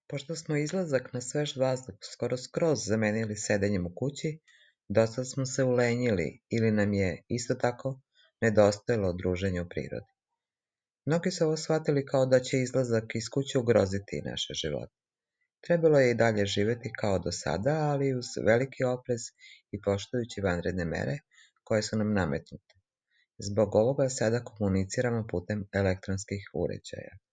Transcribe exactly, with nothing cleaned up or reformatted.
Pošto smo izlazak na svež vazduh skoro skroz zamenili sedenjem u kući, dosta smo se ulenjili ili nam je, isto tako, nedostajalo druženje u prirodi. Mnogi su ovo shvatili kao da će izlazak iz kuće ugroziti naše živote. Trebalo je i dalje živjeti kao do sada, ali uz veliki oprez i poštujući vanredne mere koje su nam nametnute. Zbog ovoga sada komuniciramo putem elektronskih uređaja.